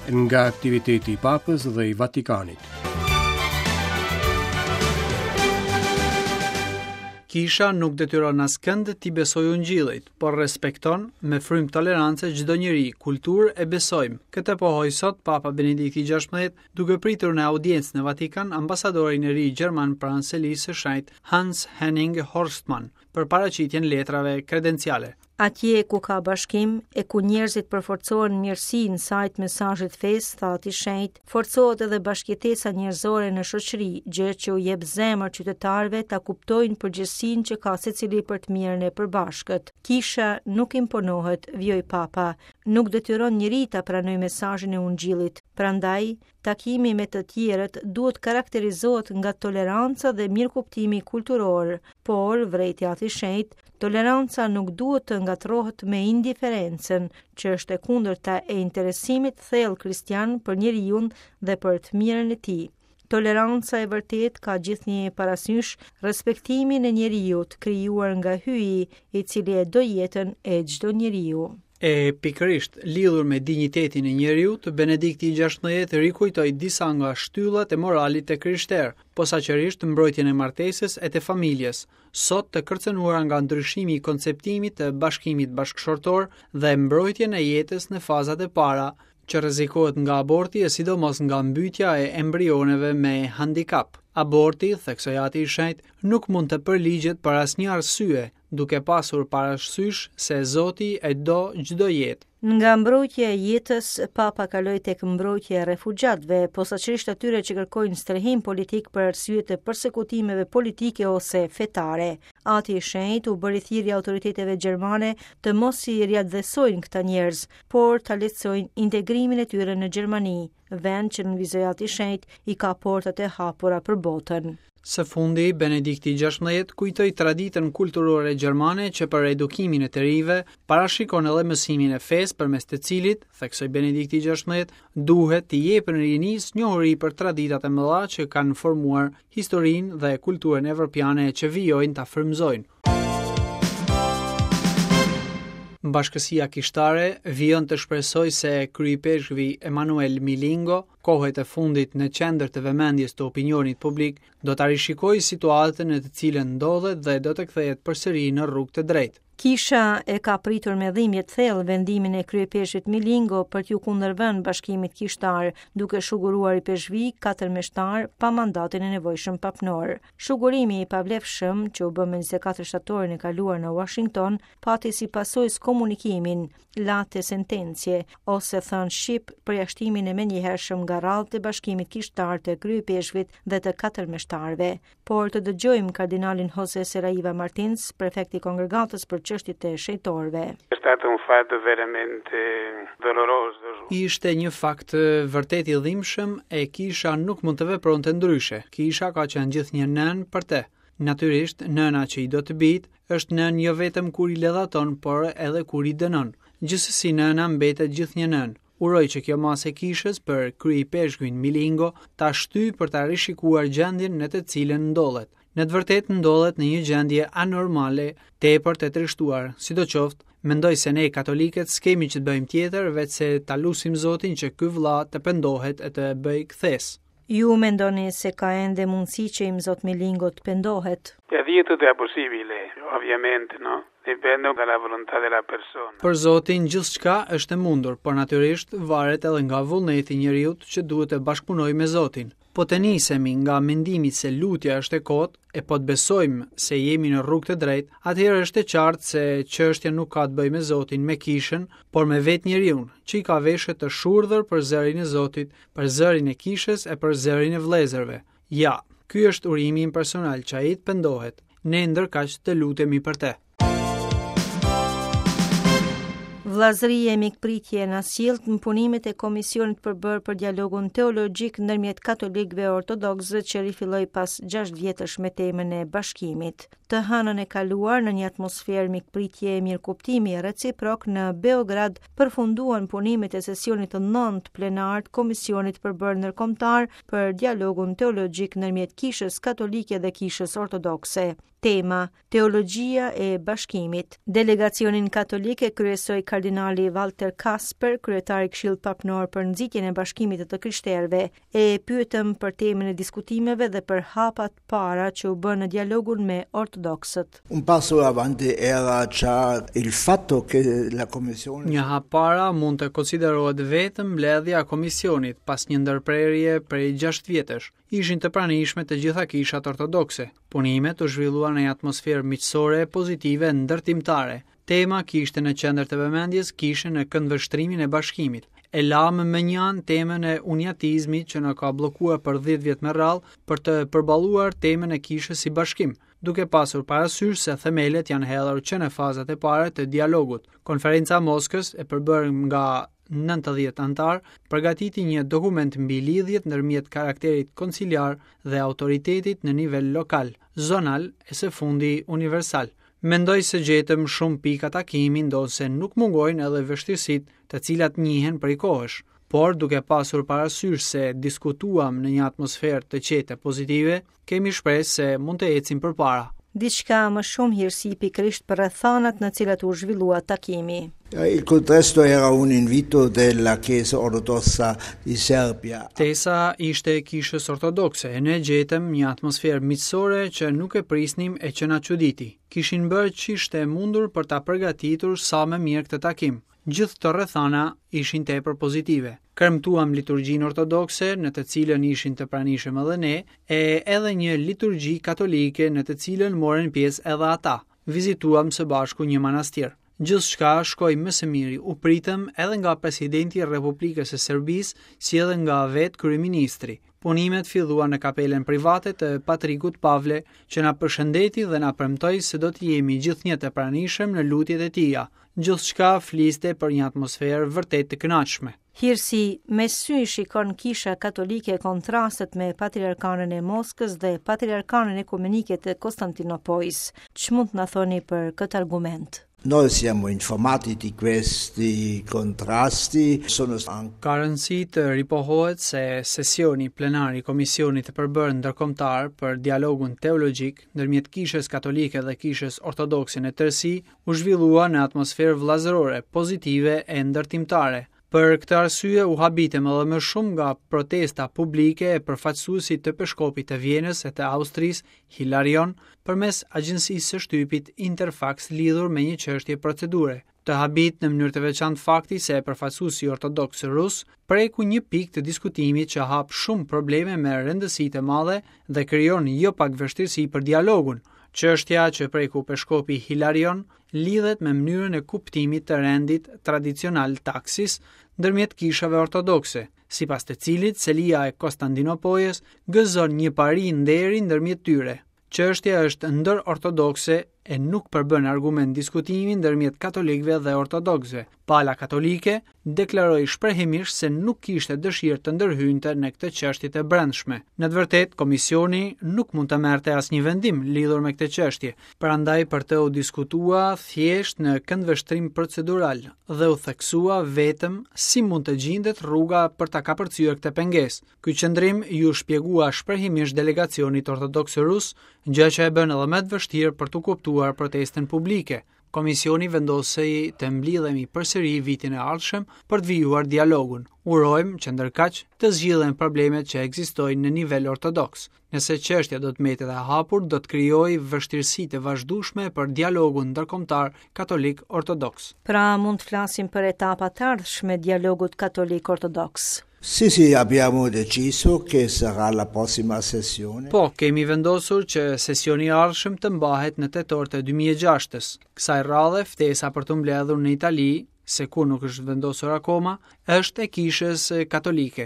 Nga aktiviteti i Papës dhe i Vatikanit. Kisha nuk detyron askënd t'i besojë ungjillit, por respekton me frymë tolerance çdo njeri, kulturë e besim. Këtë pohoi sot Papa Benedikti XVI, duke pritur në audiencë në Vatikan ambasadorin e ri gjerman pranë Selisë së Shenjtë Hans Henning Horstmann për paraqitjen letrave kredenciale. Atje ku ka bashkim e ku njerëzit përforcohen në mirësi në sajë të mesazhit të fesë, tha Ati i Shenjtë, forcohet edhe bashkëjetesa njerëzore në shoqëri, gjë që u jep zemër qytetarëve ta kuptojnë përgjegjësinë që ka secili për të mirën e përbashkët. Kisha nuk imponohet, vijoi Papa, nuk detyron njeri ta pranojë mesazhin e Ungjillit, prandaj Takimi me të tjerët duhet karakterizohet nga toleranca dhe mirëkuptimi kulturor, por, vërejti Ati i Shenjtë, toleranca nuk duhet të ngatërrohet me indiferencën, që është e kundërta e interesimit të thellë kristian për njeriun dhe për të mirën e tij. Toleranca e vërtetë ka gjithnjë parasysh respektimin e njeriut krijuar nga Hyji, i cili e do jetën e çdo njeriu. E pikërisht, lidhur me dinjitetin e njeriut, Benedikti i XVI rikujtoi disa nga shtyllat e moralit të krishterë, posaçërisht mbrojtjen e martesës e të familjes, sot të kërcënuara nga ndryshimi i konceptimit të bashkimit bashkëshortor dhe mbrojtjen e jetës në fazat e para, që rrezikohet nga aborti e sidomos nga mbytja e embrioneve me handikap. Aborti, theksoi Ati i Shenjtë, nuk mund të përligjet për asnjë arsye, duke pasur parasysh se Zoti e do çdo jetë. Nga mbrojtja e jetës, Papa kaloi tek mbrojtja e refugjatëve, posaçërisht atyre që kërkojnë strehim politik për arsye të persekutimeve politike ose fetare. Ati i Shenjtë u bëri thirrje autoriteteve gjermane të mos i riatdhesojnë këta njerëz, por ta lehtësojnë integrimin e tyre në Gjermani, vend që nënvizoi Ati i Shenjtë i ka portat e hapura për botën. Së fundi, Benedikti XVI kujtoi traditën kulturore gjermane që për edukimin e të rinjve parashikon edhe mësimin e fesë përmes të cilit, theksoi Benedikti XVI, duhet t'i jepen rinisë njohuri për traditat e mëdha që kanë formuar historinë dhe kulturën evropiane e që vijojnë ta frymëzojnë. Bashkësia kishtare vijon të shpresojë se kryeipeshkvi Emanuel Milingo kohët e fundit në qendër të vëmendjes të opinionit publik, do ta rishikojë situatën në të cilën ndodhet dhe do të kthehet përsëri në rrugë të drejtë. Kisha e ka pritur me dhimbje të thellë vendimin e kryeipeshkvit Milingo për t'iu kundërvënë bashkimit kishtar, duke shuguruar ipeshkvij katër meshtarë pa mandatin e nevojshëm papnor. Shugurimi i pavlefshëm, që u bë më 24 shtatorin e kaluar në Washington, pati si pasojë skomunikimin, late sententiae, ose thënë shqip, përjashtimin e menjëhershëm nga radhët e bashkimit kishtar të kryeipeshkvit dhe të katër meshtarëve. Por të dëgjojmë kardinalin Jose Saraiva Martins, prefekt i kongregatës për çështjet e shenjtorëve. È stato un fatto veramente doloroso. Ishte një fakt vërtet i dhimbshëm e kisha nuk mund të vepronte ndryshe. Kisha ka qenë gjithnjë nënë për të. Natyrisht, nëna që i do të bijtë, është nënë jo vetëm kur i ledhaton, por edhe kur i dënon. Gjithsesi nëna mbetet gjithnjë nënë. Uroj që kjo masë e kishës për kryeipeshkvin Milingo ta shtyjë për ta rishikuar gjendjen në të cilën ndodhet. Në të vërtetë ndodhet në një gjendje anormale, tepër të trishtuar. Sidoqoftë, mendoj se ne katolikët s'kemi ç'të bëjmë tjetër veçse ta lusim Zotin që ky vëlla të pendohet e të bëjë kthesë. Ju mendoni se ka ende mundësi që Imzot Milingo të pendohet? Per Dio tutto è possibile, ovviamente, no? Dipende dalla volontà della persona. Për Zotin gjithçka është e mundur, por natyrisht varet edhe nga vullneti i njeriut që duhet të bashkëpunojë me Zotin. Po të nisemi nga mendimi se lutja është e kotë e po të besojmë se jemi në rrugë të drejtë, atëherë është e qartë se çështja nuk ka të bëjë me Zotin, me kishën, por me vetë njeriun, që i ka veshët të shurdhër për zërin e Zotit, për zërin e kishës e për zërin e vëllezërve. Ja, ky është urimi im personal që ai të pendohet. Ne ndërkaq të lutemi për të. Vëllazëri e mikpritje e ndërsjelltë në punimet e Komisionit të përbërë për dialogun teologjik ndërmjet katolikëve e ortodoksëve që rifilloi pas 6 vjetësh me temën e bashkimit. Të hënën e kaluar në një atmosferë mikpritje e mirëkuptimi reciprok në Beograd përfunduan punimet e sesionit të nëntë plenar të Komisionit të përbërë ndërkombëtar për dialogun teologjik ndërmjet Kishës Katolike dhe Kishës Ortodokse. Tema, Teologjia e Bashkimit. Delegacionin katolik e kryesoi kardinali Walter Kasper, kryetar i Këshillit Papnor për nxitjen e bashkimit të të krishterëve. E pyetëm për temën e diskutimeve dhe për hapat para që u bënë në dialogun me ortodoksët. Un passo avanti era già il fatto che la Commissione Një hap para mund të konsiderohet vetëm mbledhja e komisionit pas një ndërprerje prej 6 vjetësh. Ishin të pranishme të gjitha kishat ortodokse. Punimet u zhvilluan në një atmosferë miqësore, pozitive, ndërtimtare. Tema kishte në qendër të vëmendjes kishën në këndvështrimin e bashkimit. E lamë mënjanë temën e uniatizmit që na ka bllokuar për 10 vjet me radhë për të përballuar temën e kishës si bashkim, duke pasur parasysh se themelet janë hedhur që në fazat e para të dialogut. Konferenca e Moskës, e përbërë nga 90 anëtarë, përgatiti një dokument mbi lidhjet ndërmjet karakterit konciliar dhe autoritetit në nivel lokal, zonal e së fundi universal. Mendoj se gjetëm shumë pika takimi ndonëse nuk mungojnë edhe vështirësitë të cilat njihen prej kohësh. Por duke pasur parasysh se diskutuam në një atmosferë të qetë e pozitive, kemi shpresë se mund të ecim përpara. Diçka më shumë hirësi pikërisht për rrethanat në cilat u zhvillua takimi. Il contesto era un invito della Chiesa ortodossa di Serbia. Ftesa ishte e Kishës Ortodokse e ne gjetëm një atmosferë miqësore që nuk e prisnim e që na çuditi. Kishin bërë ç'ishte e mundur për ta përgatitur sa më mirë këtë takim. Gjithë këto rrethana ishin tepër pozitive. Kremtuam liturgjinë ortodokse, në të cilën ishin të pranishëm edhe ne, e edhe një liturgji katolike në të cilën morën pjesë edhe ata. Vizituam së bashku një manastir. Gjithçka shkoi më së miri, u pritëm edhe nga presidenti i Republikës së Serbisë, si edhe nga vetë kryeministri. Punimet filluan në kapelën private të Patrikut Pavle, që na përshëndeti dhe na premtoi se do të jemi gjithnjë të pranishëm në lutjet e tija. Gjithçka fliste për një atmosferë vërtet të kënaqshme. Hirësi, me ç'sy i shikon Kisha Katolike kontrastet me Patriarkanën e Moskës dhe Patriarkanën Ekumenike të Konstantinopojës. Ç'mund të na thoni për këtë argument? Noi siamo informati di questi contrasti, sono anche Ka rëndësi të ripohohet se sesioni plenar i Komisionit të përbërë ndërkombëtar për dialogun teologjik ndërmjet Kishës Katolike dhe Kishës Ortodokse në tërësi u zhvillua në atmosferë vëllazërore, pozitive e ndërtimtare. Për këtë arsye u habitëm edhe më shumë nga protesta publike e përfaqësuesit të peshkopit të Vjenës e të Austrisë, Hilarion, përmes agjencisë së shtypit Interfax lidhur me një çështje procedure. Të habit në mënyrë të veçantë fakti se përfaqësuesi ortodoks rus preku një pikë të diskutimit që hap shumë probleme me rëndësi të madhe dhe krijon jo pak vështirësi për dialogun. Çështja që preku peshkopi Hilarion lidhet me mënyrën e kuptimit të rendit tradicional taksis ndërmjet kishave ortodokse, sipas të cilit selia e Kostandinopojës gëzon një pari nderi ndërmjet tyre. Çështja është ndërortodokse e nuk përbën argument diskutimi ndërmjet katolikëve dhe ortodoksëve. Pala katolike deklaroi shprehimisht se nuk kishte dëshirë të ndërhynte në këtë çështje të brendshme. Në të vërtetë, komisioni nuk mund të merrte asnjë vendim lidhur me këtë çështje, prandaj për të u diskutua thjesht në këndvështrim procedural dhe u theksua vetëm si mund të gjindet rruga për ta kapërcyer këtë pengesë. Ky qëndrim iu shpjegua shprehimisht delegacionit ortodoks rus, gjë që e bën edhe më të vështirë për t'u kuptuar protestën publike. Komisioni vendosi të mblidhemi përsëri vitin e ardhshëm për të vijuar dialogun. Urojmë që ndërkaq të zgjidhen problemet që ekzistojnë në nivel ortodoks. Nëse çështja do të mbetet e hapur, do të krijojë vështirësi të vazhdueshme për dialogun ndërkombëtar katolik-ortodoks. Pra mund të flasim për etapa të ardhshme dialogut katolik-ortodoks. Sì, sì, abbiamo deciso che sarà la prossima sessione. Po, kemi vendosur që sesioni i ardhshëm të mbahet në tetor të 2006-ës. Kësaj radhe, ftesa për t'u mbledhur në Itali, se ku nuk është vendosur akoma, është e Kishës Katolike.